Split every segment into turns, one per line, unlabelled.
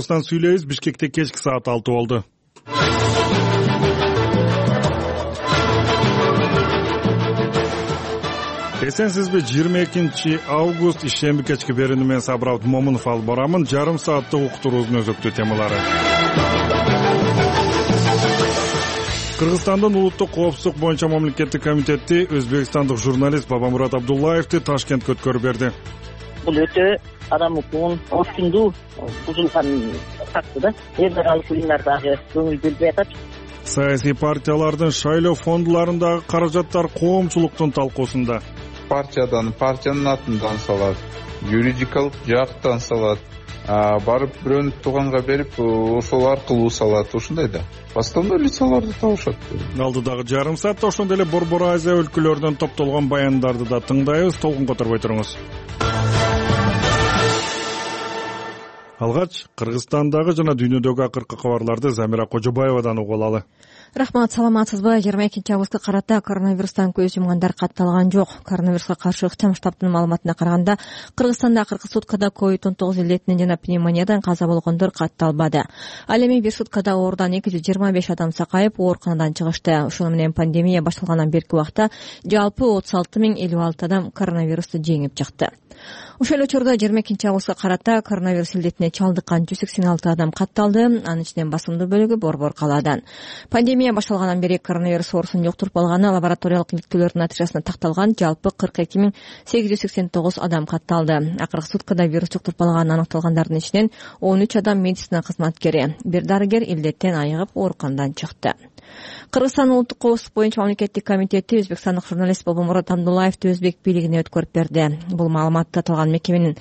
Кыргызстан сүйлөйбүз. Бишкекте кечки саат 6 болду. Эсенсизби? 22 август ишемби кечки берүүнү мен Сабыр Момунов алып барамын. Жарым сааттык уктуруубуздун өзөктүү темалары. Кыргызстандын улуттук коопсуздук боюнча мамлекеттик комитети өзбекстандык журналист Бабамурат Абдуллаевди Ташкентке өткөрүп берди.
Бул өтө адам укугун орчундуу бузулган факты да. Эл аралык уюмдар дагы көңүл бөлбөй атат.
Саясий партиялардын шайлоо фондуларындагы каражаттар коомчулуктун талкуусунда.
Партиянын атынан салат, юридикалык жактан салат, барып бирөөнү тууганга берип, ошол аркылуу салат, ушундай да. Основной лицаларды табышат.
Алдыдагы жарым саатта ошондой эле Борбор Азия өлкөлөрүнөн топтолгон баяндарды да тыңдайбыз. Толкун которбой туруңуз. Алгач Кыргызстандагы жана дүйнөдөгү акыркы кабарларды Замира Кожобаевадан угуп алалы.
Рахмат, саламатсызбы? 22 августка карата коронавирустан көз жумгандар катталган жок. Коронавируска каршы ыктым штабтын маалыматына караганда, Кыргызстанда акыркы суткада COVID-19 илетинен жана пневмониядан каза болгондор катталбады. Ал эми бир суткада оорудан 225 адам сакайып, ооруканадан чыгышты. Ошону менен пандемия башталгандан берки убакта жалпы 36 056 адам коронавирусту жеңип чыкты. Ошол эле учурда 22 августка карата коронавирус илетине чалдыккан 186 адам катталды. Анын ичинен басымдуу бөлүгү Борбор калаадан. Пандемия башталгандан бери коронавирус оорусун жуктуруп алганы лабораториялык иликтөөлөрдүн натыйжасында такталган жалпы 42 889 адам катталды. Акыркы суткада вирус жуктуруп алганы аныкталгандардын ичинен 13 адам медицина кызматкери, бир дарыгер илдеттен айыгып ооруканадан чыкты. Кыргызстан улуттук коопсуздук боюнча мамлекеттик комитети өзбекстандык журналист Бабамурат Абдуллаевди өзбек бийлигине өткөрүп берди. Бул маалыматты аталган мекеменин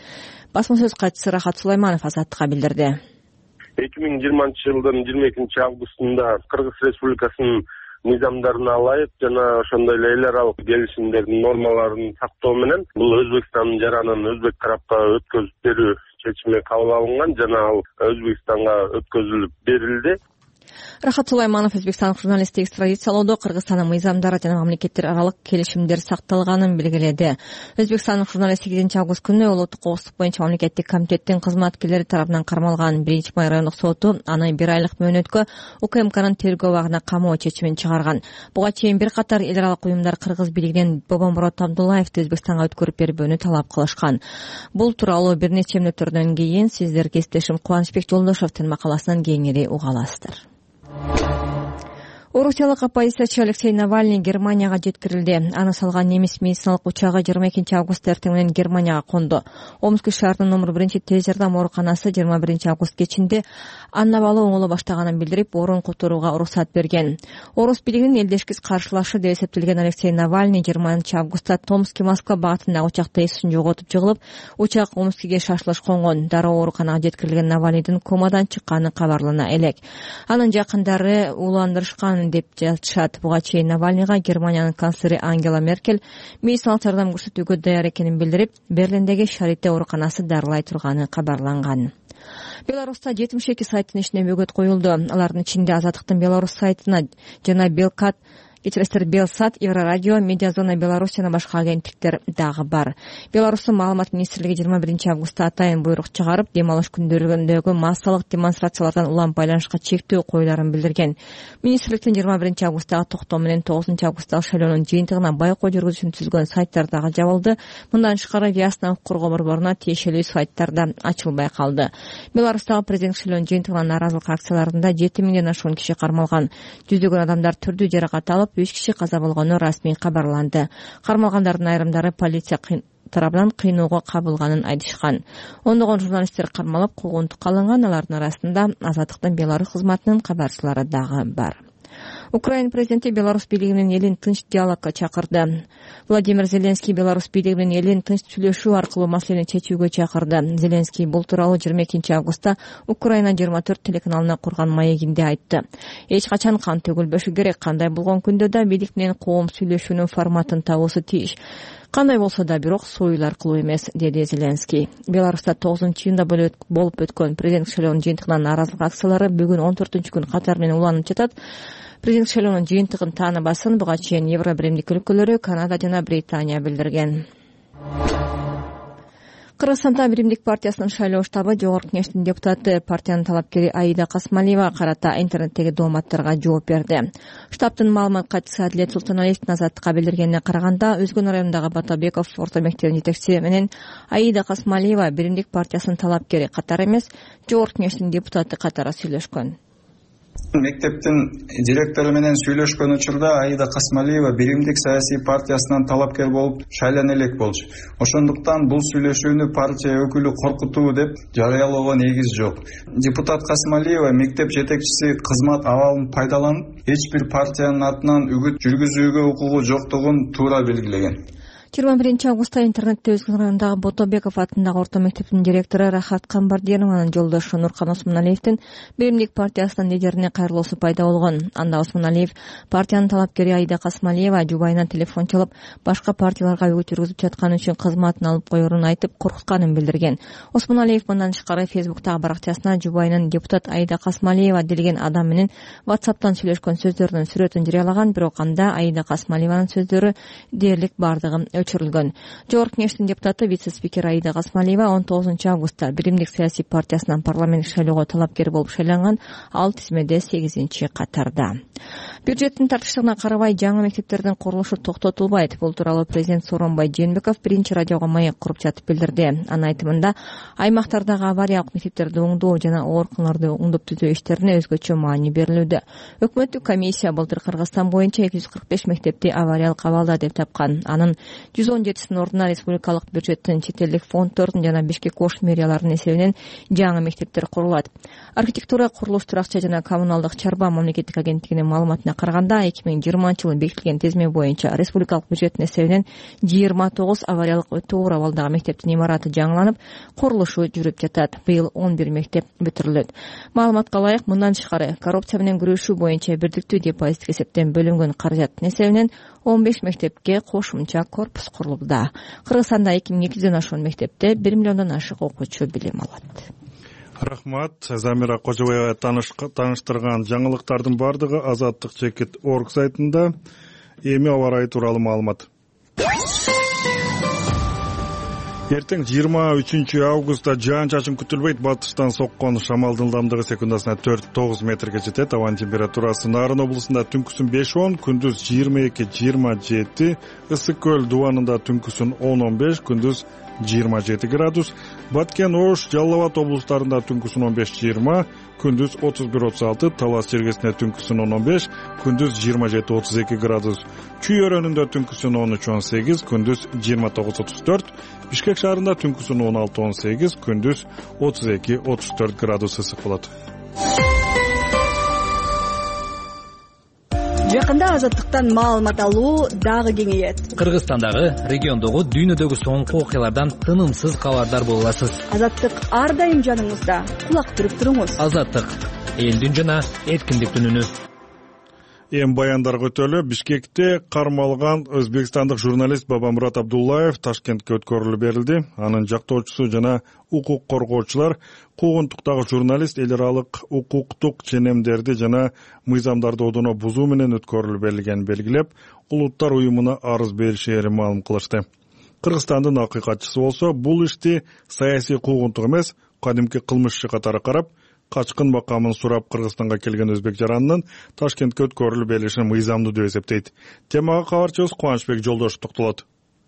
басма сөз катчысы Рахат Сулайманов Азаттыкка билдирди.
2020 жылдын 22 августунда Кыргыз Республикасынын мыйзамдарына ылайык жана ошондой эле эл аралык келишимдердин нормаларын сактоо менен бул Өзбекстандын жаранын өзбек тарапка өткөзүп берүү чечими кабыл алынган жана ал Өзбекстанга өткөзүлүп берилди.
Рахат Сулайманов өзбекстандык журналистти экстрадициялоодо Кыргызстандын мыйзамдары жана мамлекеттер аралык келишимдер сакталганын белгиледи. Өзбекстандык журналист 8 август күнү улуттук коопсуздук боюнча мамлекеттик комитеттин кызматкерлери тарабынан кармалган 1-май райондук соту аны 1 айлык мөөнөткө УКМКнын тергөө абагына камоо чечимин чыгарган. Буга чейин бир катар эл аралык уюмдар Кыргыз бийлигинен Бабамурат Абдуллаевди Өзбекстанга өткөрүп берүүнү талап кылышкан. Бул тууралуу бир нече мүнөттөрдөн кийин сиздерге кесиптешим Кубанычбек Жолдошевдин макаласынан кеңири уга аласыздар. Орусиялык оппозициячы Алексей Навальный Германияга жеткирилди. Аны салган немис медициналык учагы 22 август эртең менен Германияга конду. Омск шаарынын номер 1 тез жардам ооруканасы 21 август кечинде Анна бала оңоло баштаганын билдирип, орун которууга уруксат берген. Орус бийлигинин элдешкис каршылашы деп эсептелген Алексей Навальный 20 августта Томск-Москва багытындагы учакта эсин жоготуп жыгылып, учак Омскиге шашылыш конгон. Дароо ооруканага жеткирилген Навальныйдын комадан чыкканы кабарлана элек. Анын жакындары уландырышкан деп жатышат. Буга чейин Навальныйга Германиянын канцлери Ангела Меркель медициналык жардам көрсөтүүгө даяр экенин билдирип, Берлиндеги Шарите ооруканасы дарылай турганы кабарланган. Беларуста 72 сайттын ишине бөгөт коюлду. Алардын ичинде Азаттыктын Беларусь сайтына жана Белсат, Еврорадио, Медиазона Беларусь жана башка агенттиктер дагы бар. Беларустун маалымат министрлиги 21 августта атайын буйрук чыгарып, дем алыш күндөрүндөгү массалык демонстрациялардан улам байланышка чектөө коюларын билдирген. Министрликтин 21 августтагы токтоо менен 9 августтагы шайлоонун жыйынтыгына байкоо жүргүзүүнү түзгөн сайттар дагы жабылды. Мындан тышкары Виасна укук коргоо борборуна тиешелүү сайттар да ачылбай калды. Беларустагы президенттик шайлоонун жыйынтыгына нааразылык акцияларында 7000ден ашуун киши кармалган. Жүздөгөн адамдар түрдүү жаракат алып, 3 киши каза болгону расмий кабарланды. Кармалгандардын айрымдары полиция тарабынан кыйноого кабылганын айтышкан. Ондогон журналисттер кармалып, куугунтукка алынган. Алардын арасында Азаттыктын Беларусь кызматынын кабарчылары дагы бар. Украина президенти Беларусь бийлигинин элин тынч диалогко чакырды. Владимир Зеленский Беларусь бийлигинин элин тынч сүйлөшүү аркылуу маселени чечүүгө чакырды. Зеленский бул тууралуу 22 августта Украина 24 телеканалына курган маегинде айтты. Эч качан кан төгүлбөшү керек, кандай болгон күндө да бийлик менен коом сүйлөшүүнүн форматын табуусу тийиш. Кандай болсо да бирок союл аркылуу эмес, деди Зеленский. Беларуста 9-июнда болуп өткөн президенттик шайлоонун жыйынтыгынан нааразылык акциялары бүгүн 14-күн катар менен уланып жатат. Президенттик шайлоонун жыйынтыгын тааныбасын буга чейин Евробиримдик өлкөлөрү, Канада жана Британия билдирген. Кыргызстанда Биримдик партиясынын шайлоо штабы Жогорку Кеңештин депутаты, партиянын талапкери Аида Касмалиева карата интернеттеги дооматтарга жооп берди. Штабтын маалымат катчысы Адилет Султаналиевдин Азаттыкка билдиргенине караганда, Өзгөн районундагы Батабеков орто мектебинин жетекчиси менен Аида Касмалиева Биримдик партиясынын талапкери катары эмес, Жогорку Кеңештин депутаты катары сүйлөшкөн.
Мектептин директору менен сүйлөшкөн учурда Аида Касмалиева Биримдик саясий партиясынан талапкер болуп шайлана элек болчу. Ошондуктан бул сүйлөшүүнү партия өкүлү коркутуу деп жарыялоого негиз жок. Депутат Касмалиева мектеп жетекчиси кызмат абалын пайдаланып, эч бир партиянын атынан үгүт жүргүзүүгө укугу жоктугун туура белгилеген.
21 августта интернетте Өзгөн районундагы Батабеков атындагы орто мектептин директору Рахат Камбардинованын жолдошу Нуркан Осмоналиевдин Биримдик партиясынын лидерине кайрылуусу пайда болгон. Анда Осмоналиев партиянын талапкери Аида Касмалиева жубайынан телефон чалып, башка партияларга үгүт жүргүзүп жатканы үчүн кызматын алып коерун айтып, коркутканын билдирген. Осмоналиев мындан тышкары Фейсбуктагы баракчасына жубайынын депутат Аида Касмалиева делген адам менен WhatsApp'тан сүйлөшкөн сөздөрүнүн сүрөтүн жарыялаган, бирок анда Аида Касмалиеванын сөздөрү дээрлик бардыгы өчүрүлгөн. Жогорку Кеңештин депутаты вице-спикер Аида Касмалиева 19 августта Биримдик саясий партиясынан парламенттик шайлоого талапкер болуп шайланган, ал тизмеде 8-катарда. Бюджеттин тартыштыгына карабай жаңы мектептердин курулушу токтотулбайт. Бул тууралуу президент Сооронбай Жээнбеков биринчи радиого маек куруп жатып билдирди. Анын айтымында, аймактардагы авариялык мектептерди оңдоо жана ооруканаларды оңдоп түзөө иштерине өзгөчө маани берилүүдө. Өкмөттүк комиссия былтыр Кыргызстан боюнча 245 мектепти авариялык абалда деп тапкан. Анын 117-синин ордуна республикалык бюджеттин, чет элдик фонддордун жана Бишкек Ош мэрияларынын эсебинен жаңы мектептер курулат. Архитектура, курулуш, туракча жана коммуналдык чарба мамлекеттик агенттигинин маалыматына караганда, 2020-жылы бекитилген тизме боюнча республикалык бюджеттин эсебинен 29 авариялык өтө оор абалдагы мектептин имараты жаңыланып, курулушу жүрүп жатат. Быйыл 11 мектеп бүтүрүлөт. Маалыматка ылайык, мындан тышкары коррупция менен күрөшүү боюнча бирдиктүү депозиттик эсептен бөлүнгөн каражаттын эсебинен 15 мектепке кошумча корпус курулууда. Кыргызстанда 2200ден ашуун мектепте 1 миллиондон ашык окуучу билим алат.
Рахмат. Замира Кожобаева тааныштырган жаңылыктардын бардыгы Азаттык.org сайтында. Эми аба ырайы тууралуу маалымат. Эртең 23 августта жаан-чачын күтүлбөйт. Батыштан соккон шамалдын ылдамдыгы секундасына 4-9 метрге жетет. Абанын температурасы Нарын облусунда түнкүсүн 5-10, күндүз 22-27, Ысык көл дубанында түнкүсүн 10-15, күндүз 27 градус. Баткен, Ош, Жалал Абад облустарында түнкүсүн 15-20, күндүз 31-36, Талас жергесинде түнкүсүн 10-15, күндүз 27-32 градус. Чүй өрөөнүндө түнкүсүн 13-18, күндүз 29-34, Бишкек шаарында түнкүсүн 16-18, күндүз 32-34 градус ысык болот.
Жакында Азаттыктан маалымат алуу дагы кеңейет.
Кыргызстандагы, региондогу, дүйнөдөгү соңку окуялардан тынымсыз кабардар боло аласыз.
Азаттык ар дайым жаныңызда. Кулак түрүп туруңуз.
Азаттык, элдин жана эркиндиктин үнү.
Эми баяндарга өтөлү. Бишкекте кармалган өзбекстандык журналист Бабамурат Абдуллаев Ташкентке өткөрүлүп берилди. Анын жактоочусу жана укук коргоочулар куугунтуктагы журналист эл аралык укуктук ченемдерди жана мыйзамдарды одоно бузуу менен өткөрүлүп берилгенин белгилеп, улуттар уюмуна арыз беришээрин маалым кылышты. Кыргызстандын акыйкатчысы болсо, бул ишти саясий куугунтук эмес, кадимки кылмыш иши катары карап, качкын макамын сурап Кыргызстанга келген өзбек жаранынын Ташкентке өткөрүлүп берилишин мыйзамдуу деп эсептейт. Темага кабарчыбыз Кубанычбек Жолдошов токтолот.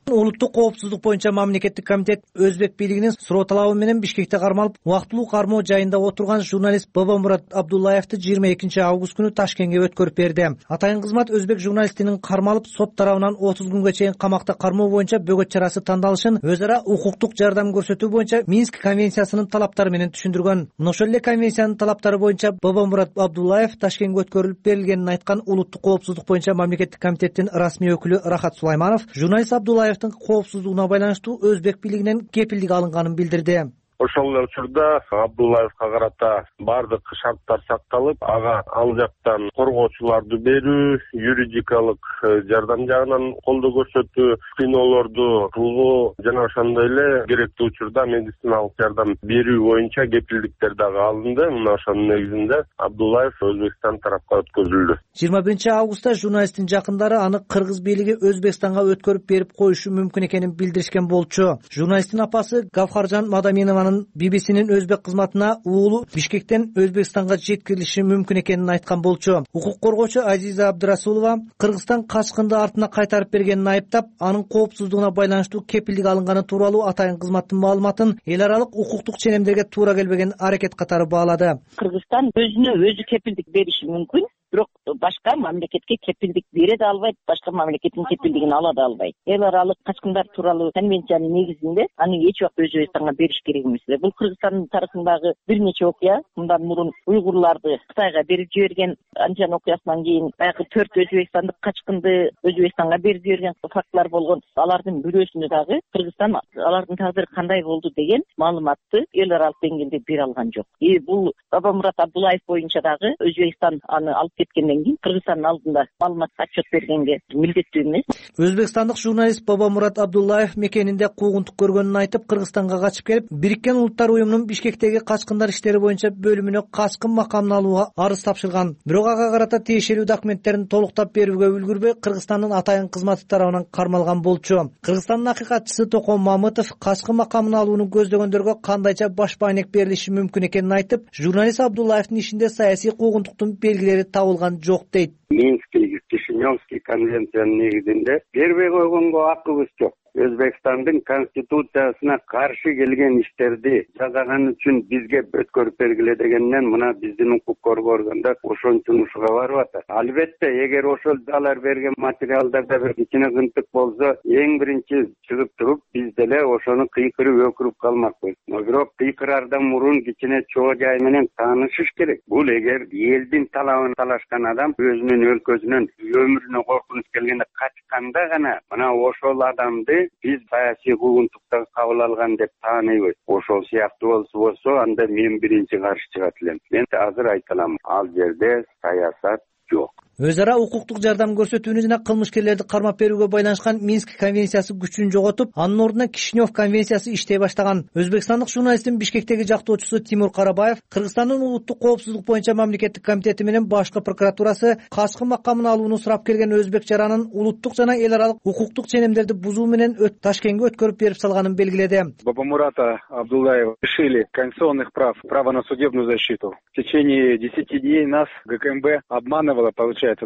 Улуттук коопсуздук боюнча мамлекеттик комитет өзбек бийлигинин суроо талабы менен Бишкекте кармалып, убактылуу кармоо жайында отурган журналист Бабамурат Абдуллаевди 22 август күнү Ташкентке өткөрүп берди. Атайын кызмат өзбек журналистинин кармалып, сот тарабынан 30 күнгө чейин камакта кармоо боюнча бөгөт чарасы тандалышын өз ара укуктук жардам көрсөтүү боюнча Минск конвенциясынын талаптары менен түшүндүргөн. Ошол эле конвенциянын талаптары боюнча Бабамурат Абдуллаев Ташкентке өткөрүлүп берилгенин айткан улуттук коопсуздук боюнча мамлекеттик комитеттин расмий өкүлү Рахат Сулайманов журналист Абдуллаев коопсуздугуна байланыштуу өзбек бийлигинен кепилдик алынганын билдирди.
Ошол эле учурда Абдуллаевка карата бардык шарттар сакталып, ага ал жактан коргоочуларды берүү, юридикалык жардам жагынан колдоо көрсөтүү, кыйноолорду кылуу жана ошондой эле керектүү учурда медициналык жардам берүү боюнча кепилдиктер дагы алынды. Мына ошонун негизинде Абдуллаев Өзбекстан тарапка өткөзүлдү.
21 августта журналисттин жакындары аны кыргыз бийлиги Өзбекстанга өткөрүп берип коюшу мүмкүн экенин билдиришкен болчу. Журналисттин апасы Гавхаржан Мадаминованын BBC-нин өзбек кызматына уулу Бишкектен Өзбекстанга жеткирилиши мүмкүн экенин айткан болчу. Укук коргоочу Азиза Абдырасулова Кыргызстан качкынды артына кайтарып бергенин айыптап, анын коопсуздугуна байланыштуу кепилдик алынганы тууралуу атайын кызматтын маалыматын эл аралык укуктук ченемдерге туура келбеген аракет катары баалады.
Кыргызстан өзүнө өзү кепилдик бериши мүмкүн, бирок башка мамлекетке кепилдик бере да албайт, башка мамлекеттин кепилдигин ала да албайт. Эл аралык качкындар тууралуу конвенциянын негизинде аны эч убакта Өзбекстанга бериш керек эмес. Бул Кыргызстандын тарыхындагы бир нече окуя. Мындан мурун уйгурларды Кытайга берип жиберген анчан окуясынан кийин баягы 4 өзбекстандык качкынды Өзбекстанга берип жиберген фактылар болгон. Алардын бирөөсүндө дагы Кыргызстан алардын тагдыры кандай болду деген маалыматты эл аралык деңгээлде бере алган жок. Бул Бабамурат Абдуллаев боюнча дагы Өзбекстан аны алып кеткенден кийин Кыргызстандын алдында маалымат отчет бергенге милдеттүү эмес.
Өзбекстандык журналист Бабамурат Абдуллаев мекенинде куугунтук көргөнүн айтып, Кыргызстанга качып келип, Бириккен Улуттар уюмунун Бишкектеги качкындар иштери боюнча бөлүмүнө качкын макамын алууга арыз тапшырган. Бирок ага карата тиешелүү документтерин толуктап берүүгө үлгүрбөй, Кыргызстандын атайын кызматы тарабынан кармалган болчу. Кыргызстандын акыйкатчысы Токон Мамытов качкын макамын алууну көздөгөндөргө кандайча баш баанек берилиши мүмкүн экенин айтып, журналист Абдуллаевдин ишинде саясий куугунтуктун белгилери табылган жок дейт.
Минский, Кишиневский конвенциянын негизинде бербей койгонго акыбыз жок. Өзбекстандын конституциясына каршы келген иштерди жазаган үчүн бизге өткөрүп бергиле дегенден мына биздин укук коргоо органдар ошончун ушуга барып атат. Албетте, эгер ошол алар берген материалдарда бир кичине кынтык болсо, эң биринчи чыгып туруп, биз деле ошону кыйкырып өкүрүп калмакпыз. Бирок кыйкырардан мурун кичине чоо жай менен таанышыш керек. Бул эгер элдин талабын талашкан адам өзүнүн өлкөсүнөн өмүрүнө коркунуч келгенде качканда гана мына ошол адамды биз саясий куугунтукта кабыл алган деп тааныйбыз. Ошол сыяктуу болсо, анда мен биринчи каршы чыгат элем. Мен азыр айта алам, ал жерде саясат жок.
Өз ара укуктук жардам көрсөтүүнү жана кылмышкерлерди кармап берүүгө байланышкан Минск конвенциясы күчүн жоготуп, анын ордуна Кишинев конвенциясы иштей баштаган. Өзбекстандык журналисттин Бишкектеги жактоочусу Тимур Карабаев Кыргызстандын улуттук коопсуздук боюнча мамлекеттик комитети менен башкы прокуратурасы качкын макамын алууну сурап келген өзбек жаранын улуттук жана эл аралык укуктук ченемдерди бузуу менен Ташкентке өткөрүп берип салганын белгиледи.
Бабамурата Абдуллаева лишили конституционных прав, права на судебную защиту. В течение 10 дней нас ГКМБ обманывала,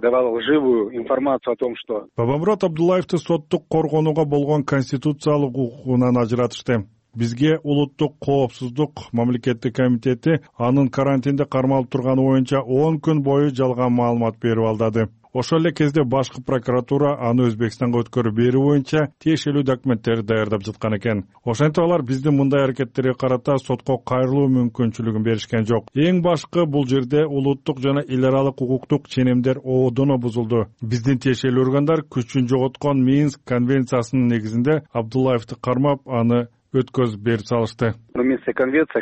давал лживую информацию о том, что
Бабамурат Абдуллаевди соттук коргонууга болгон конституциялык укугунан ажыратышты. Бизге улуттук коопсуздук мамлекеттик комитети анын карантинде кармалып турганы боюнча 10 күн бою жалган маалымат берип алдады. Ошол эле кезде башкы прокуратура аны Өзбекстанга өткөрүп берүү боюнча тиешелүү документтерди даярдап жаткан экен. Ошентип алар биздин мындай аракеттерге карата сотко кайрылуу мүмкүнчүлүгүн беришкен жок. Эң башкы бул жерде улуттук жана эл аралык укуктук ченемдер оодоно бузулду. Биздин тиешелүү органдар күчүн жоготкон Минск конвенциясынын негизинде Абдуллаевди кармап, аны өткөзүп берип салышты.
Минская конвенция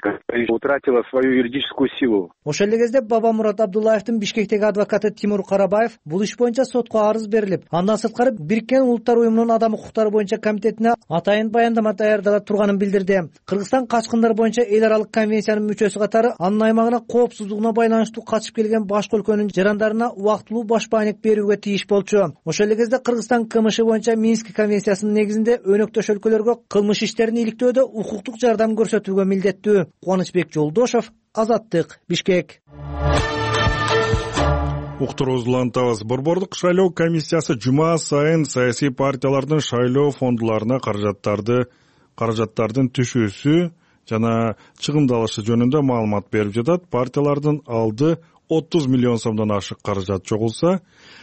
утратила свою юридическую силу.
Ошол эле кезде Бабамурат Абдуллаевдин Бишкектеги адвокаты Тимур Карабаев бул иш боюнча сотко арыз берилип, андан сырткары Бириккен Улуттар уюмунун адам укуктары боюнча комитетине атайын баяндама даярдала турганын билдирди. Кыргызстан качкындар боюнча эл аралык конвенциянын мүчөсү катары анын аймагына коопсуздугуна байланыштуу качып келген башка өлкөнүн жарандарына убактылуу баш баанек берүүгө тийиш болчу. Ошол эле кезде Кыргызстан КМШ боюнча Минск конвенциясынын негизинде өнөктөш өлкөлөргө кылмыш иштерин иликтөөдө укуктук жардам көрсөтүүгө милдеттүү. Кубанычбек Жолдошов, Азаттык, Бишкек.
Уктуруубузду улантабыз. Борбордук шайлоо комиссиясы жума сайын саясий партиялардын шайлоо фондуларына каражаттардын түшүүсү жана чыгымдалышы жөнүндө маалымат берип жатат. Партиялардын алды 30 миллион сомдон ашык каражат жогулса,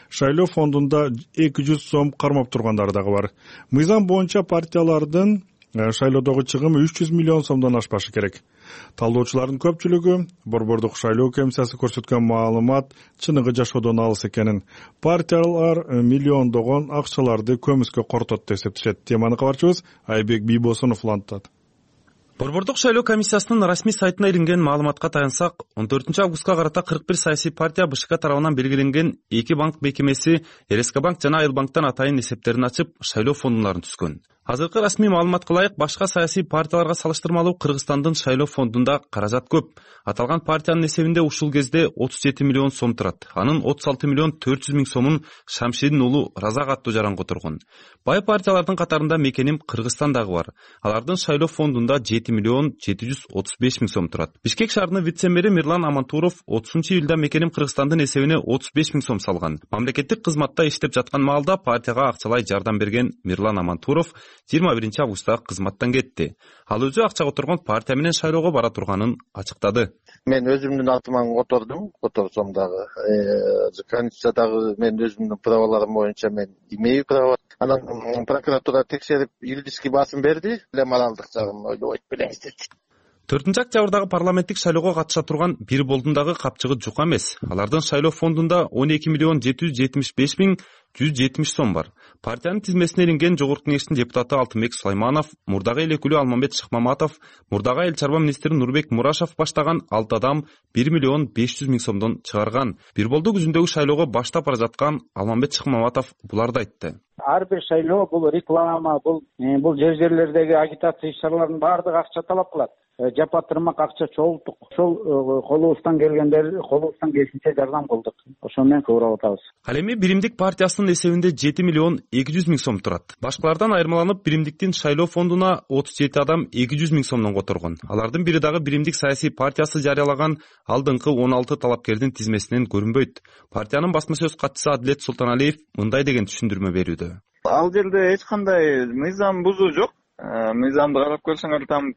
шайлоо фондунда 200 сом кармап тургандар дагы бар. Мыйзам боюнча партиялардын шайлоодогу чыгымы 300 миллион сомдон ашпашы керек. Талдоочулардын көпчүлүгү Борбордук шайлоо комиссиясы көрсөткөн маалымат чыныгы жашоодон алыс экенин, партиялар миллиондогон акчаларды көмүскө кортот деп эсептешет. Теманы кабарчыбыз Айбек Бийбосунов улантат.
Борбордук шайлоо комиссиясынын расмий сайтына илинген маалыматка таянсак, 14 августка карата 41 саясий партия БШК тарабынан белгиленген 2 банк мекемеси РСК банк жана Айыл банктан атайын эсептерин ачып, шайлоо фондундарын түзгөн. Азыркы расмий маалыматка ылайык башка саясий партияларга салыштырмалуу Кыргызстандын шайлоо фондунда каражат көп. Аталган партиянын эсебинде ушул кезде 37 миллион сом турат. Анын 36 миллион 400 миң сомун Шамшидин уулу Разак аттуу жаранга отургон. Бай партиялардын катарында Мекеним Кыргызстан дагы бар. Алардын шайлоо фондунда 7 миллион 735 миң сом турат. Бишкек шаарынын вице-мэри Мирлан Амантуров 30-июлда Мекеним Кыргызстандын эсебине 35 миң сом салган. Мамлекеттик кызматта иштеп жаткан маалда партияга акчалай жардам берген Мирлан Амантуров 21 августта кызматтан кетти. Ал өзү акчага отургон партия менен шайлоого бара турганын ачыктады.
Мен өзүмдүн атыма отурдум, отурсом дагы Конституциядагы мен өзүмдүн праваларым боюнча мен имею право. Анан прокуратура текшерип юридический басым берди, моралдык жагын ойлобойт белеңиз деди.
4-октябрдагы парламенттик шайлоого катыша турган бир болдун дагы капчыгы жук эмес. Алардын шайлоо фондунда 12 миллион 775 миң 170 сом бар. Партиянын тизмесине илинген Жогорку кеңештин депутаты Алтынбек Сулайманов, мурдагы эл өкүлү Алмамбет Шыкмаматов, мурдагы эл чарба министри Нурбек Мурашев баштаган 6 адам 1 миллион 500 миң сомдон чыгарган. Бир болду күзүндөгү шайлоого баштап бара жаткан Алмамбет Шыкмаматов буларды айтты.
Ар бир шайлоо бул реклама, бул жерлердеги агитация иш-чараларынын баардыгы акча талап кылат. Жапатырмак акча чогулттук. Ошол колубуздан келишинче жардам кылдык. Ошо менен кыбырап атабыз.
Ал эми Биримдик партиясынын эсебинде 7 миллион 200 миң сом турат. Башкалардан айырмаланып, Биримдиктин шайлоо фондуна 37 адам 200 миң сомдон которгон. Алардын бири дагы Биримдик саясий партиясы жарыялаган алдыңкы 16 талапкердин тизмесинен көрүнбөйт. Партиянын басма сөз катчысы Адилет Султаналиев мындай деген түшүндүрмө берүүдө.
Ал жерде эч кандай мыйзам бузуу жок. Мыйзамды карап көрсөңөр там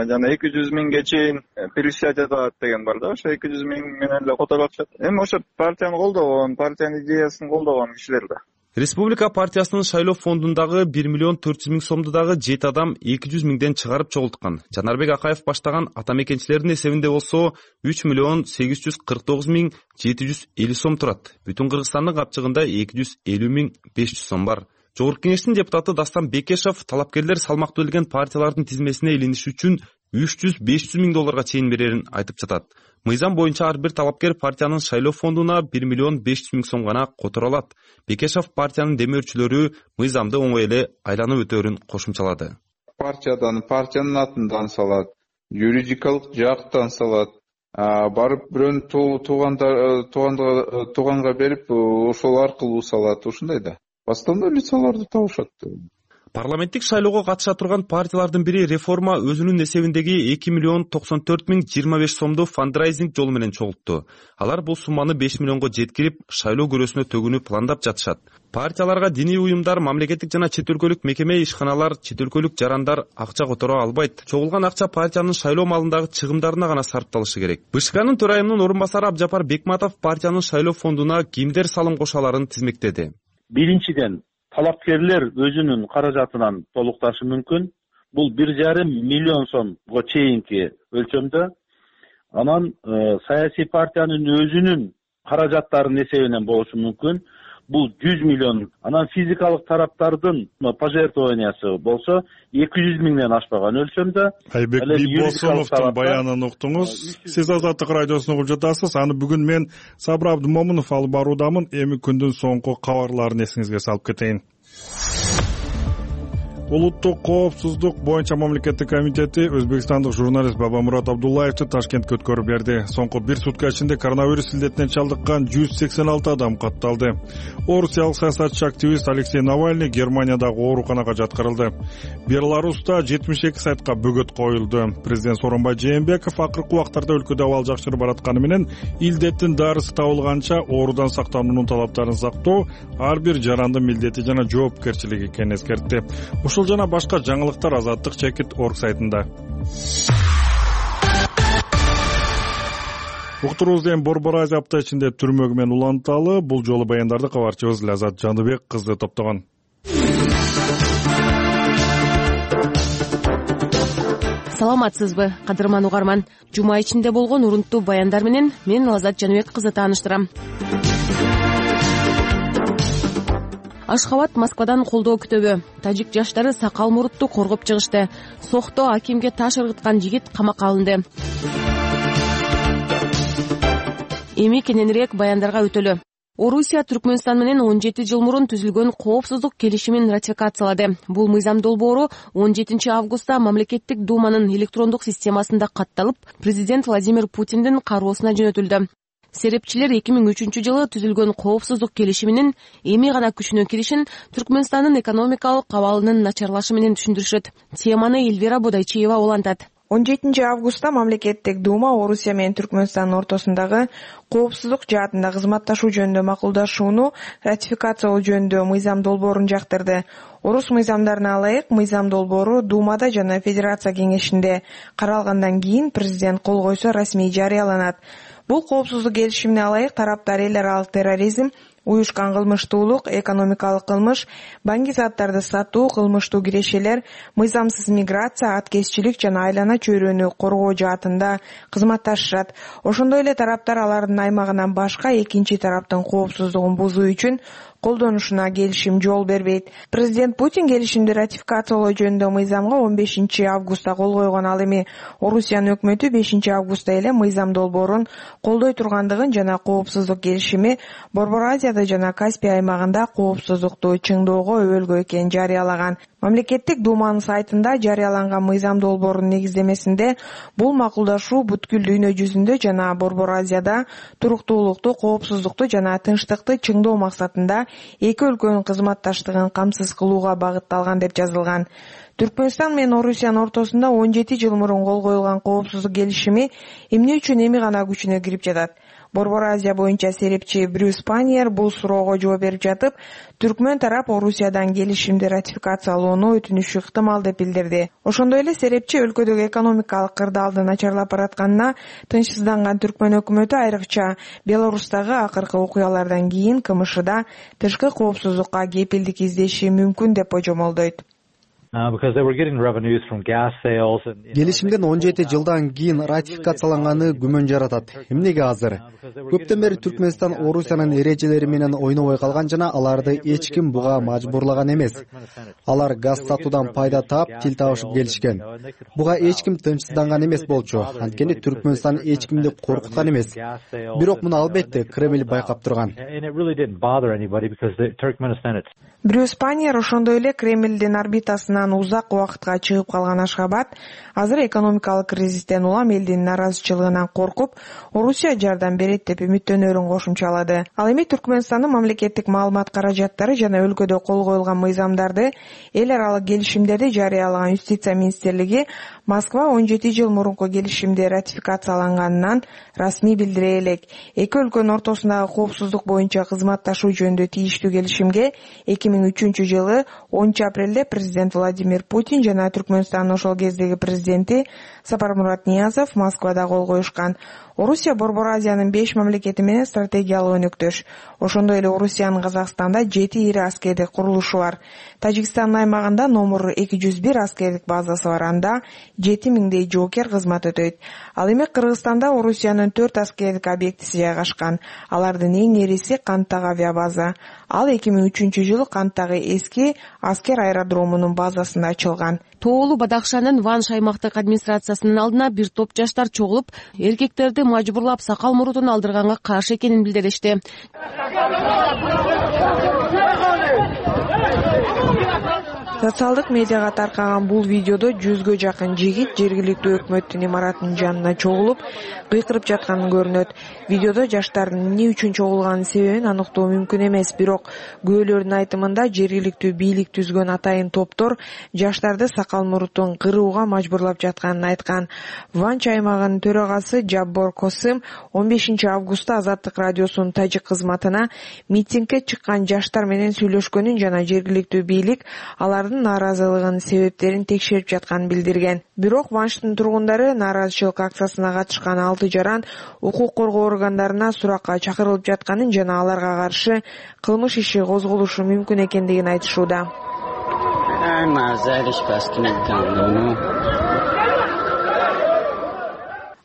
жана 200 миңге чейин превышать этет деген бар да. Ошо 200 миң менен эле которуп атышат. Эми ошо партияны колдогон, партиянын идеясын колдогон кишилер да.
Республика партиясынын шайлоо фондундагы 1 миллион 400 миң сомду дагы 7 адам 200 миңден чыгарып чогулткан. Жанарбек Акаев баштаган ата мекенчилердин эсебинде болсо 3 миллион 849 миң 750 сом турат. Бүтүн Кыргызстандын капчыгында 250 миң 500 сом бар. Жогорку кеңештин депутаты Дастан Бекешев талапкерлер салмактуу илген партиялардын тизмесине илиниш үчүн 300-500 миң долларга чейин берерин айтып жатат. Мыйзам боюнча ар бир талапкер партиянын шайлоо фондуна 1 миллион 500 миң сом гана которо алат. Бекешев партиянын демөөрчүлөрү мыйзамды оңой эле айланып өтөөрүн кошумчалады.
Партиянын атынан салат, юридикалык жактан салат, барып бирөөнүн тууганга берип, ошол аркылуу салат, ушундай да. Бастапкы лицаларды табышат.
Парламенттик шайлоого катыша турган партиялардын бири Реформа өзүнүн эсебиндеги 2 миллион 94 миң 25 сомду фандрайзинг жолу менен чогултту. Алар бул сумманы 5 миллионго жеткирип, шайлоо көрөсүнө төгүүнү пландап жатышат. Партияларга диний уюмдар, мамлекеттик жана чет өлкөлүк мекеме ишканалар, чет өлкөлүк жарандар акча которо албайт. Чогулган акча партиянын шайлоо малындагы чыгымдарына гана сарпталышы керек. БШКнын төрайымынын орун басары Абжапар Бекматов партиянын шайлоо фондуна кимдер салым кошо аларын тизмектеди.
Биринчиден, талапкерлер өзүнүн каражатынан толукташы мүмкүн. Бул 1,5 миллион сомго чейинки өлчөмдө. Анан саясий партиянын өзүнүн каражаттарынын эсебинен болушу мүмкүн. Бул 100 миллион. Анан физикалык тараптардын пожертвованиясы болсо 200 миңден ашпаган өлчөмдө.
Айбек Бибосуновдун баянын уктуңуз. Сиз Азаттык радиосун угуп жатасыз. Аны бүгүн мен Сабыр Абдымомунов алып баруудамын. Эми күндүн соңку кабарларын эсиңизге салып кетейин. Улуттук коопсуздук боюнча мамлекеттик комитети өзбекстандык журналист Бабамурат Абдуллаевди Ташкентке өткөрүп берди. Соңку бир сутка ичинде коронавирус илдетинен чалдыккан 186 адам катталды. Орусиялык саясатчы активист Алексей Навальный Германиядагы ооруканага жаткырылды. Беларуста 72 сайтка бөгөт коюлду. Президент Сооронбай Жээнбеков акыркы убактарда өлкөдө абал жакшырып баратканы менен илдеттин дарысы табылганча оорудан сактануунун талаптарын сактоо ар бир жарандын милдети жана жоопкерчилиги экенин эскертти. Ушул жана башка жаңылыктар Азаттык Чекит.org сайтында. Уктуруубуз Борбор Азия апта ичинде түрмөгү менен уланталы. Бул жолу баяндарды кабарчыбыз Лазат Жандыбек кызы топтогон.
Саламатсызбы, кадырман угарман. Жума ичинде болгон урунттуу баяндар менен мен Лазат Жандыбек кызы тааныштырам. Ашхабад Москвадан колдоо күтөбү. Тажик жаштары сакал мурутту коргоп чыгышты. Сохто акимге таш ыргыткан жигит камакка алынды. Эми кененирээк баяндарга өтөлү. Орусия Түркмөнстан менен 17 жыл мурун түзүлгөн коопсуздук келишимин ратификациялады. Бул мыйзам долбоору 17 августта мамлекеттик думанын электрондук системасында катталып, президент Владимир Путиндин кароосуна жөнөтүлдү. Серепчилер 2003 жылы түзүлгөн коопсуздук келишиминин эми гана күчүнө киришин Түркмөнстандын экономикалык абалынын начарлашы менен түшүндүрүшөт. Теманы Эльвира Бодайчиева улантат.
17 августта мамлекеттик дума Орусия менен Түркмөнстандын ортосундагы коопсуздук жаатында кызматташуу жөнүндө макулдашууну ратификациялоо жөнүндө мыйзам долбоорун жактырды. Орус мыйзамдарына ылайык мыйзам долбоору Думада жана Федерация кеңешинде каралгандан кийин президент кол койсо расмий жарыяланат. Бул коопсуздук келишимине ылайык тараптар эл аралык терроризм, уюшкан кылмыштуулук, экономикалык кылмыш, банки заттарды сатуу, кылмыштуу кирешелер, мыйзамсыз миграция, аткезчилик жана айлана чөйрөнү коргоо жаатында кызматташышат. Ошондой эле тараптар алардын аймагынан башка экинчи тараптын коопсуздугун бузуу үчүн колдонушуна келишим жол бербейт. Президент Путин келишимди ратификациялоо жөнүндө мыйзамга 15 августта кол койгон. Ал эми Орусиянын өкмөтү 5 августта эле мыйзам долбоорун колдой тургандыгын жана коопсуздук келишими Борбор Азияда жана Каспий аймагында коопсуздукту чыңдоого өбөлгө экенин жарыялаган. Мамлекеттик думанын сайтында жарыяланган мыйзам долбоорунун негиздемесинде бул макулдашуу бүткүл дүйнө жүзүндө жана Борбор Азияда туруктуулукту, коопсуздукту жана тынчтыкты чыңдоо максатында эки өлкөнүн кызматташтыгын камсыз кылууга багытталган деп жазылган. Түркмөнстан менен Орусиянын ортосунда 17 жыл мурун кол коюлган коопсуздук келишими эмне үчүн эми гана күчүнө кирип жатат? Борбор Азия боюнча серепчи Брюс Паньер бул суроого жооп берип жатып, түркмөн тарап Орусиядан келишимди ратификациялоону өтүнүшү ыктымал деп билдирди. Ошондой эле серепчи өлкөдөгү экономикалык кырдаалдын начарлап баратканына тынчсызданган түркмөн өкмөтү айрыкча Беларустагы акыркы окуялардан кийин КМШда тышкы коопсуздукка кепилдик издеши мүмкүн деп божомолдойт.
Келишимдин 17 жылдан кийин ратификацияланганы күмөн жаратат. Эмнеге азыр? Көптөн бери Түркмөнстан Орусиянын эрежелери менен ойнобой калган жана аларды эч ким буга мажбурлаган эмес. Алар газ сатуудан пайда таап, тил табышып келишкен. Буга эч ким тынчсызданган эмес болчу. Анткени Түркмөнстан эч кимди коркуткан эмес. Бирок муну албетте Кремль байкап турган.
Брюс Паньер ошондой эле Кремлдин орбитасынан узак убакытка чыгып калган Ашхабад азыр экономикалык кризистен улам элдин наразычылыгынан коркуп, Орусия жардам берет деп үмүттөнөрүн кошумчалады. Ал эми Түркмөнстандын мамлекеттик маалымат каражаттары жана өлкөдө кол коюлган мыйзамдарды, эл аралык келишимдерди жарыялаган Юстиция министрлиги Москва 17 жыл мурунку келишимди ратификацияланганынан расмий билдире элек. Эки өлкөнүн ортосундагы коопсуздук боюнча кызматташуу жөнүндө тийиштүү келишимге 2003 жылы 10 апрелде президент Владимир Путин жана Түркмөнстандын ошол кездеги президенти Сапармурат Ниязов Москвада кол коюшкан. Орусия Борбор Азиянын 5 мамлекети менен стратегиялык өнөктөш. Ошондой эле Орусиянын Казакстанда 7 ири аскердик курулушу бар. Тажикстандын аймагында номер 201 аскердик базасы бар. Анда 7000дей жоокер кызмат өтөйт. Ал эми Кыргызстанда Орусиянын 4 аскердик объектиси жайгашкан. Алардын эң ириси Канттагы авиабаза. Ал 2003 жылы Канттагы эски аскер аэродромунун базасында ачылган.
Тоолу Бадахшандын Ванш аймактык администрациясынын алдына бир топ жаштар чогулуп, эркектерди мажбурлап сакал мурутун алдырганга каршы экенин билдиришти.
Социалдык медиага таркаган бул видеодо 100гө жакын жигит жергиликтүү өкмөттүн имаратынын жанына чогулуп, кыйкырып жатканы көрүнөт. Видеодо жаштардын эмне үчүн чогулганын себебин аныктоо мүмкүн эмес, бирок күбөлөрдүн айтымында жергиликтүү бийлик түзгөн атайын топтор жаштарды сакал мурутун кырууга мажбурлап жатканын айткан. Ванч аймагынын төрагасы Жаббор Косым 15 августта Азаттык радиосунун тажик кызматына митингге чыккан жаштар менен сүйлөшкөнүн жана жергиликтүү бийлик алардын нааразылыгынын себептерин текшерип жатканын билдирген. Бирок Ванштын тургундары нааразычылык акциясына катышкан 6 жаран укук коргоо органдарына суракка чакырылып жатканын жана аларга каршы кылмыш иши козголушу мүмкүн экендигин айтышууда.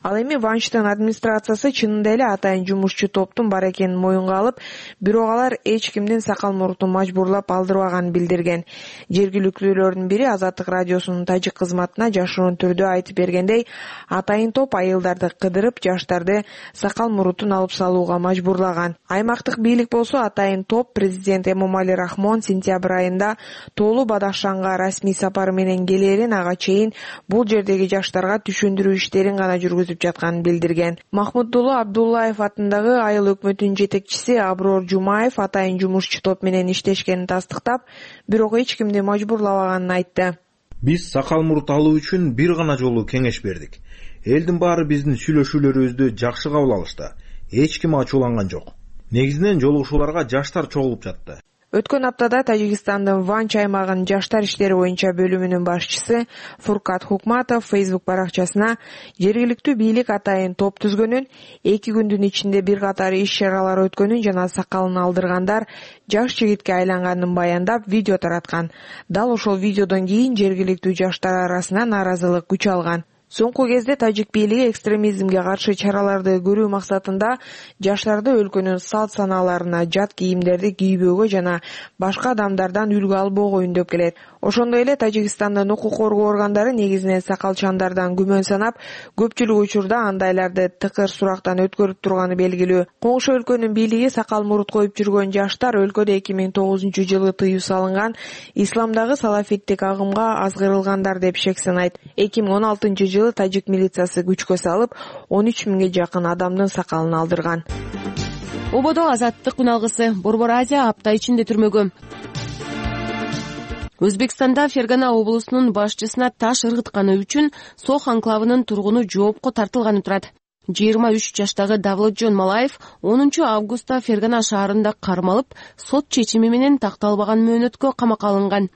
Ал эми Ванчтын администрациясы чынында эле атайын жумушчу топтун бар экенин моюнга алып, бирок алар эч кимдин сакал мурутун мажбурлап алдырбаганын билдирген. Жергиликтүүлөрдүн бири Азаттык радиосунун тажик кызматына жашыруун түрдө айтып бергендей, атайын топ айылдарды кыдырып, жаштарды сакал мурутун алып салууга мажбурлаган. Аймактык бийлик болсо атайын топ президент Эмомали Рахмон сентябрь айында Тоолу Бадахшанга расмий сапары менен келээрин, ага чейин бул жердеги жаштарга түшүндүрүү иштерин гана жүргүзүп жатканын билдирген. Махмуддулла Абдуллаев атындагы айыл өкмөтүнүн жетекчиси Аброр Жумаев атайын жумушчу топ менен иштешкенин тастыктап, бирок эч кимди мажбурлабаганын айтты.
Биз сакал мурут алуу үчүн бир гана жолу кеңеш бердик. Элдин баары биздин сүйлөшүүлөрүбүздү жакшы кабыл алышты. Эч ким ачууланган жок. Негизинен жолугушууларга жаштар чогулуп жатты.
Өткөн аптада Тажикстандын Ванч аймагынын жаштар иштери боюнча бөлүмүнүн башчысы Фуркат Хукматов Facebook баракчасына жергиликтүү бийлик атайын топ түзгөнүн, 2 күндүн ичинде бир катар иш-чаралар өткөнүн жана сакалын алдыргандар жаш жигитке айланганын баяндап видео тараткан. Дал ошол видеодон кийин жергиликтүү жаштар арасында нааразылык күч алган. Соңку кезде тажик бийлиги экстремизмге каршы чараларды көрүү максатында жаштарды өлкөнүн салт санааларына жат кийимдерди кийбөөгө жана башка адамдардан үлгү албоого үндөп келет. Ошондой эле Тажикстандын укук коргоо органдары негизинен сакалчандардан күмөн санап, көпчүлүк учурда андайларды тыкыр сурактан өткөрүп турганы белгилүү. Коңшу өлкөнүн бийлиги сакал мурут коюп жүргөн жаштар өлкөдө 2009-жылы тыюу салынган исламдагы салафиттик агымга азгырылгандар деп шек санайт. 2016-жылы тажик милициясы күчкө салып, 13 миңге жакын адамдын сакалын алдырган.
Ободо Азаттык үналгысы Борбор Азия апта ичинде түрмөгө. Өзбекстанда Фергана облусунун башчысына таш ыргытканы үчүн Сох анклавынын тургуну жоопко тартылганы турат. 23 жаштагы Давлатжон Малаев 10 августта Фергана шаарында кармалып, сот чечими менен такталбаган мөөнөткө камакка алынган.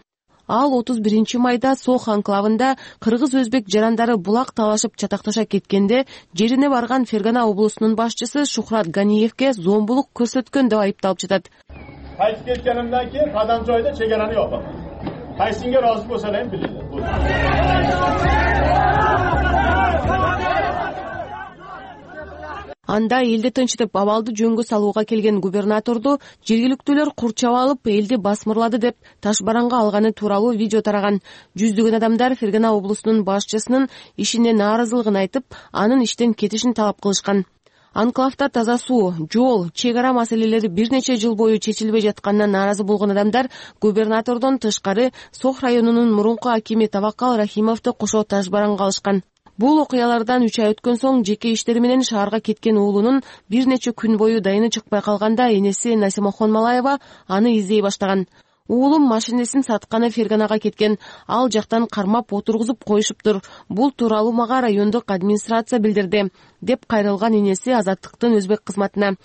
Ал 31 майда Сох анклавында кыргыз-өзбек жарандары булак талашып чатакташа кеткенде жерине барган Фергана облусунун башчысы Шухрат Ганиевке зомбулук көрсөткөн деп айыпталып жатат.
Кайтып кеткенимден кийин кадам жойдо чегараны жок. Кайсыңга ыраазы болсо эле билет.
Анда элди тынчытып абалды жөнгө салууга келген губернаторду жергиликтүүлөр курчап алып, элди басмырлады деп таш бараңга алганы тууралуу видео тараган. Жүздөгөн адамдар Фергана облусунун башчысынын ишине нааразылыгын айтып, анын иштен кетишин талап кылышкан. Анклавда таза суу, жол, чек ара маселелери бир нече жыл бою чечилбей жатканына нааразы болгон адамдар губернатордон тышкары Сох районунун мурунку акими Таваккал Рахимовду кошо таш бараңга алышкан. Бул окуялардан 3 ай өткөн соң жеке иштери менен шаарга кеткен уулунун бир нече күн бою дайыны чыкпай калганда энеси Насимахон Малаева аны издей баштаган. Уулум машинесин сатканы Ферганага кеткен, ал жактан кармап отургузуп коюшуптур. Бул тууралуу мага райондук администрация билдирди, деп кайрылган энеси Азаттыктын өзбек кызматына.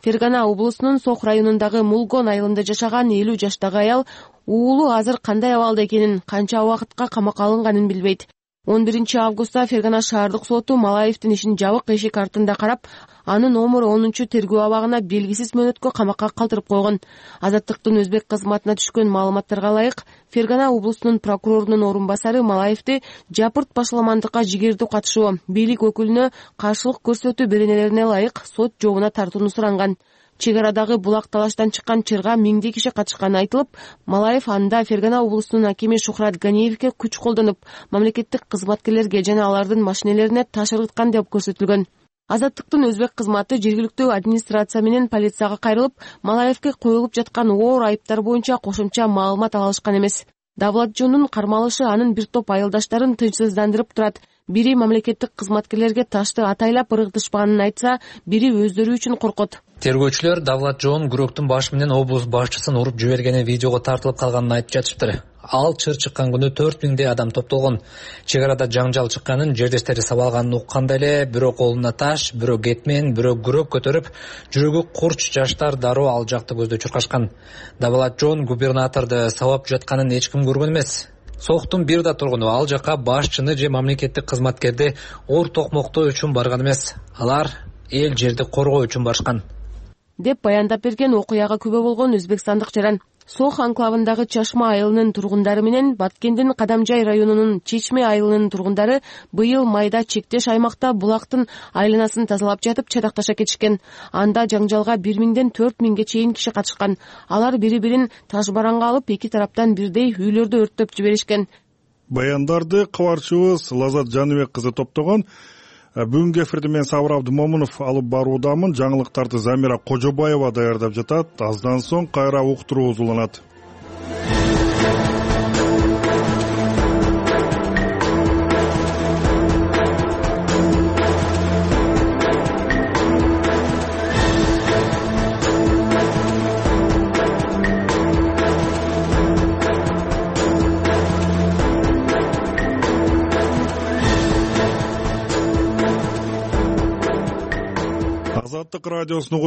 Фергана облусунун Сох районундагы Мулгон айылында жашаган 50 жаштагы аял уулу азыр кандай абалда экенин, канча убакытка камакка алынганын билбейт. 11 августта Фергана шаардык соту Малаевдин ишин жабык эшик артында карап, аны номер 10 тергөө абагына белгисиз мөөнөткө камакка калтырып койгон. Азаттыктын өзбек кызматына түшкөн маалыматтарга ылайык, Фергана облусунун прокурорунун орун басары Малаевди жапырт башаламандыкка жигердүү катышуу, бийлик өкүлүнө каршылык көрсөтүү беренелерине ылайык сот жообуна тартууну суранган. Чек арадагы булак талаштан чыккан чырга миңдей киши катышканы айтылып, Малаев анда Фергана облусунун акими Шухрат Ганиевке күч колдонуп, мамлекеттик кызматкерлерге жана алардын машинелерине таш ыргыткан деп көрсөтүлгөн. Азаттыктын өзбек кызматы жергиликтүү администрация менен полицияга кайрылып, Малаевке коюлуп жаткан оор айыптар боюнча кошумча маалымат ала алышкан эмес. Давлатжондун кармалышы анын бир топ айылдаштарын тынчсыздандырып турат. Бири мамлекеттик кызматкерлерге ташты атайлап ыргытышпаганын айтса, бири өздөрү үчүн коркот.
Тергөөчүлөр Давлатжон күрөктүн башы менен облус башчысын уруп жибергени видеого тартылып калганын айтып жатыптыр. Ал чыр чыккан күнү 4000 адам топтолгон. Чек арада жаңжал чыкканын, жердештери сабалганын укканда эле бирөө колуна таш, бирөө кетмен, бирөө күрөк көтөрүп, жүрөгү курч жаштар дароо ал жакты көздөй чуркашкан. Давлатжон губернаторду сабап жатканын эч ким көргөн эмес. Сохтун бир да тургуну ал жака башчыны же мамлекеттик кызматкерди оор токмоктоо үчүн барган эмес. Алар эл жерди коргоо үчүн барышкан,
деп баяндап берген окуяга күбө болгон өзбекстандык жаран. Сох анклавындагы Чашма айылынын тургундары менен Баткендин Кадамжай районунун Чечме айылынын тургундары быйыл майда чектеш аймакта булактын айланасын тазалап жатып чатакташа кетишкен. Анда жаңжалга 1000ден 4000ге чейин киши катышкан. Алар бири-бирин таш бараңга алып, эки тараптан бирдей үйлөрдү өрттөп жиберишкен.
Баяндарды кабарчыбыз Лазат Жаныбек кызы топтогон. Бүгүнкү эфирди мен Сабыр Абдымомунов алып баруудамын. Жаңылыктарды Замира Кожобаева даярдап жатат. Аздан соң кайра уктуруубуз уланат. Азаттык радиосунун